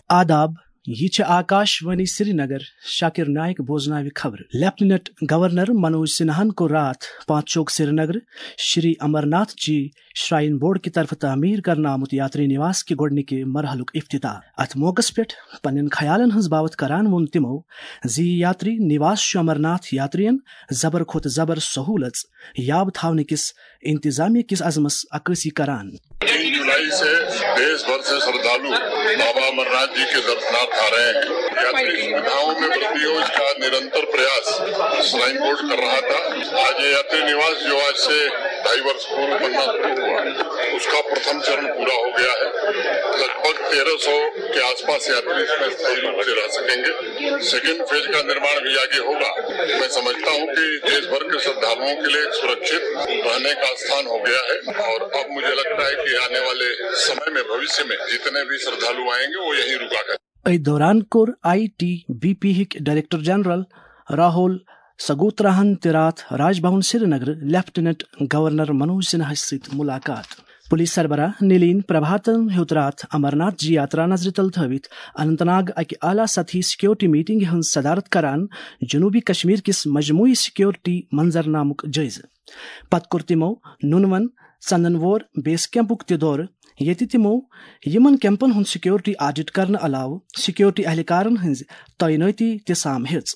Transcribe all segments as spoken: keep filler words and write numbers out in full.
آداب، یہ چھِ آکاش وانی سرینگر۔ شاکر نائک بوزناوِ خبرٕ۔ لیفٹیننٹ گورنر منوج سنہاہن کوٚر راتھ پانچ چوک سرینگر شری امرناتھ جی شرائن بورڈ کہِ طرفہٕ تعمیٖر کرنہٕ آمُت یاتری نواس کہِ گۄڈٕنِکہِ مرحلُک افتتاح۔ اتھ موقعس پٮ۪ٹھ پننٮ۪ن خیالن ہٕنٛز باوتھ کران ووٚن تِمو زِ یہِ یاتری نواس چھُ امرناتھ یاترین زبر کھۄتہٕ زبر سہوٗلژ یاب تھاونہٕ کِس انتظامیہ کِس عزمس عکٲسی کران۔ तीन जुलाई से देश भर से श्रद्धालु बाबा अमरनाथ जी के दर्शनार्थ आ रहे हैं। यात्री सुविधाओं में वृद्धि हो, इसका निरंतर प्रयास श्राइन बोर्ड कर रहा था। आज ये यात्री निवास जो आज से ढाई वर्ष पूर्व बनना शुरू हुआ, उसका प्रथम चरण पूरा हो गया है। लगभग तेरह सौ के आसपास यात्री इसमें स्थायी रूप से रह सकेंगे। सेकेंड फेज का निर्माण भी आगे होगा। मैं समझता हूँ कि देश भर के श्रद्धालुओं के लिए एक सुरक्षित रहने का स्थान हो गया है और अब मुझे लगता है कि आने वाले समय में, भविष्य में जितने भी श्रद्धालु आएंगे, वो यहीं रुका करें। أتھۍ دوران کوٚر آئی ٹی بی پی ہٕکۍ ڈائریکٹر جنرل راہول سگوتراہن تہِ راتھ راج بھون سرینگر لیفٹیننٹ گورنر منوج سنہاہس سۭتۍ ملاقات۔ پولیس سربراہ نلین پربھاتن ہیوٚت راتھ امرناتھ جی یاترا نظرِ تل تھٲوِتھ اننت ناگ اکہِ اعلیٰ سطحی سیکیورٹی میٹنگہِ ہٕنٛز صدارت کران جنوبی کشمیر کِس مجموعی سیکیورٹی منظرنامُک جٲیزٕ۔ پتہٕ کوٚر تِمو نُنون ژندن وور بیس کیمپُک تہِ دورٕ، ییٚتہِ تِمو یِمن کیمپن ہُنٛد سیکیورٹی آڈٹ کرنہٕ علاوٕ سیکیورٹی اہلکارن ہٕنٛز تعینٲتی تہِ سام ہیٚژ۔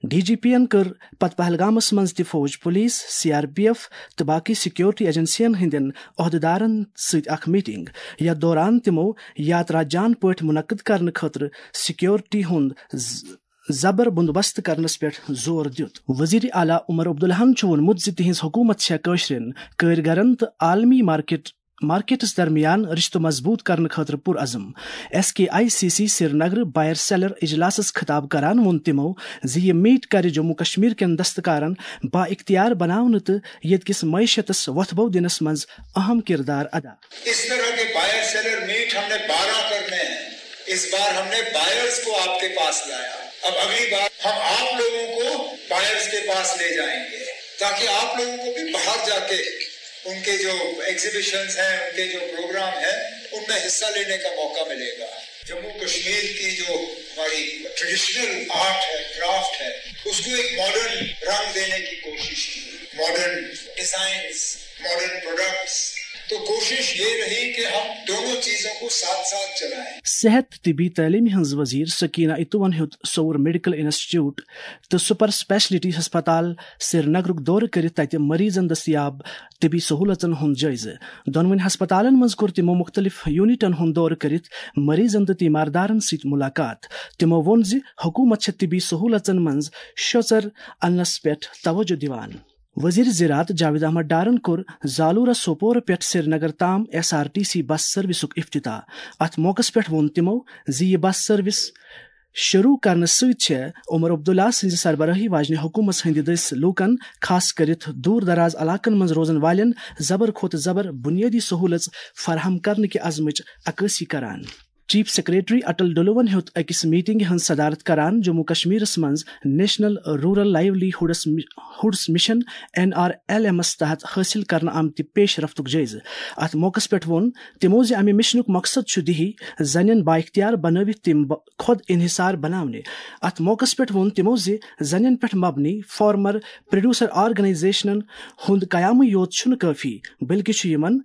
ڈی جی پی ین کٔر پتہٕ پہلگامس منٛز تہِ فوج، پولیس، سی آر پی ایف تہٕ باقی سیکیورٹی ایجنسین ہٕنٛدٮ۪ن عہدٕدارن سۭتۍ اکھ میٹنگ، یتھ دوران تِمو یاترا جان پٲٹھۍ منعقد کرنہٕ خٲطرٕ سیکیورٹی ہُنٛد ز-، زبر بندوبست کرنس پٮ۪ٹھ زور دیُت۔ وزیر اعلیٰ عمر عبداللہن چھُ ووٚنمُت زِ تِہنٛز حکوٗمت چھےٚ کٲشرٮ۪ن کٲرۍ گرن تہٕ عالمی مارکیٹ مارکیٹس درمیان رشتہٕ مضبوٗط کرنہٕ خٲطرٕ پُرعزم۔ S K I C C Srinagar buyer seller اجلاسس خطاب کران ووٚن تِمو زِ یہِ میٹ کرِ جموں کشمیر کٮ۪ن دستکارن با اختیار بناونہٕ تہٕ ییٚتہِ کِس معیشتس وۄتھبو دِنس منٛز اہم کردار ادا۔ اس طرح کے بائر سیلر میٹ ہم نے بارہ کرنے ہیں۔ اس بار ہم نے بائرز کو آپ کے پاس لایا۔ اب اگلی بار ہم آپ لوگوں کو بائرز کے پاس لے جائیں گے، تاکہ آپ لوگوں کو بھی باہر جا کے ان کے جو ایگزیبیشنز ہیں، ان کے جو پروگرام ہیں، ان میں حصہ لینے کا موقع ملے گا۔ جموں کشمیر کی جو ہماری ٹریڈیشنل آرٹ ہے، کرافٹ ہے، اس کو ایک ماڈرن رنگ دینے کی کوشش کی، ماڈرن ڈیزائنز، ماڈرن پروڈکٹس۔ تو کوشش یہ رہی کہ ہم دونوں چیزوں کو ساتھ ساتھ چلائیں۔ صحت تہٕ طبی تعلیمہِ ہٕنٛز وزیر سکینہ اتوون ہیوٚت سور میڈیکل انسٹیٹیوٹ تہٕ سپر اسپیشلٹی ہسپتال سرینگرُک دورٕ کٔرِتھ تتہِ مریضن دٔستیاب طبی سہولژن ہُنٛد جٲیزٕ۔ دۄنوٕنی ہسپتالن منٛز کوٚر تِمو مُختٔلِف یونٹن ہُنٛد دورٕ کٔرِتھ مریضن تہٕ تیماردارن سۭتۍ مُلاقات۔ تِمو ووٚن زِ حکوٗمت چھےٚ طبی سہولژن منٛز شۄژر اننس پٮ۪ٹھ توجہ دِوان۔ وزیر زراعت جاوید احمد ڈارن کوٚر زالورہ سوپورہ پٮ۪ٹھ سرینگر تام ایس آر ٹی سی بس سروسُک افتتاح۔ اتھ موقعس پٮ۪ٹھ ووٚن تِمو زِ یہِ بس سروس شروع کرنہٕ سۭتۍ چھےٚ عمر عبداللہ سٕنٛزِ سربرٲہی واجنہِ حکوٗمتس ہٕنٛدِ دٔسۍ لوٗکن، خاص کٔرِتھ دوٗر دراز علاقن منٛز روزن والٮ۪ن، زبر کھۄتہٕ زبر بُنیٲدی سہوٗلژ فراہم کرنہٕ کہِ عزمٕچ عکٲسی کران۔ چیف سیکرٹری اٹل ڈلوون ہیوٚت أکِس میٹنگہِ ہٕنٛز صدارت کران جموں کشمیرس منٛز national rural livelihoods hoods mission, N R L ایمس تحت حٲصِل کرنہٕ آمتہِ پیش رفتُک جٲیزٕ۔ اتھ موقعس پٮ۪ٹھ ووٚن تِمو زِ امہِ مشنُک مقصد چھُ دیہی زنٮ۪ن بااختیار بنٲوِتھ تِم ب-، خود انحصار بناونہِ۔ اتھ موقعس پٮ۪ٹھ ووٚن تِمو زِ زنٮ۪ن پٮ۪ٹھ مبنی فارمر پروڈیوسر آرگنائزیشنن ہُنٛد قیامٕے یوت چھُنہٕ کٲفی، بلکہِ چھُ یِمن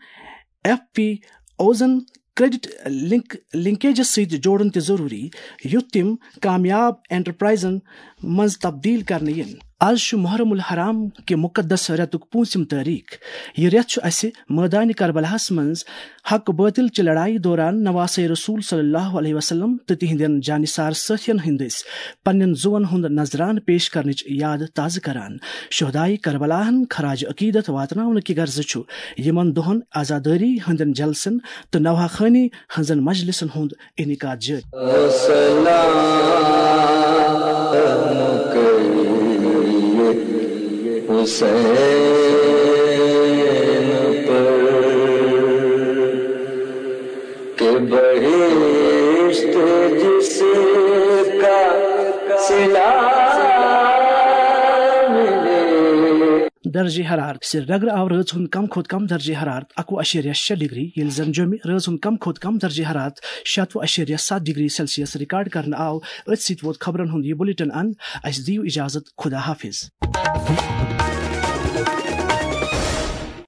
ایف پی اوزن کریڈٹ لنک لنکیجس سۭتۍ جوڑُن تہِ ضروٗری، یُتھ تِم کامیاب انٹرپرائزن منٛز تبدیل کرنہٕ یِن۔ از چھُ محرم الحرام کہِ مقدس رٮ۪تُک پوٗنٛژِم تٲریخ۔ یہِ رٮ۪تھ چھُ اسہِ مٲدانِ کربلاہس منٛز حق باطل چہِ لڑایہِ دوران نواسے رسول صلی اللہ علیہ وسلم تہٕ تِہنٛدٮ۪ن جانثار سٲتھین ہٕنٛدۍ دٔسۍ پننٮ۪ن زُوَن ہُنٛد نذرانہٕ پیش کرنٕچ یاد تازٕ کران۔ شہدائے کربلاہن خراج عقیدت واتناونہٕ کہِ غرضہٕ چھُ یِمن دۄہن عزادٲری ہٕنٛدٮ۪ن جلسن تہٕ نوحہ خوانی ہٕنٛزن مجلسن ہُنٛد انعقاد جٲری۔ سلام کریے حسین پر کہ بہشت جس کا صلہ ملے۔ درجہ حرارت۔ سرینگر آو رٲژ ہُنٛد کم کھۄتہٕ کم درجہ حرارت اکوُہ اَشیریہ شےٚ ڈگری، ییٚلہِ زن جوٚمہِ رٲژ ہُنٛد کم کھۄتہٕ کم درجہ حرارت شَتوُہ اَشیریہ سَتھ ڈگری سیلسیس ریکارڈ کرنہٕ آو۔ أتھۍ سۭتۍ ووت خبرن ہُنٛد یہِ بلیٹن اند۔ اسہِ دِیِو اجازت، خدا حافظ۔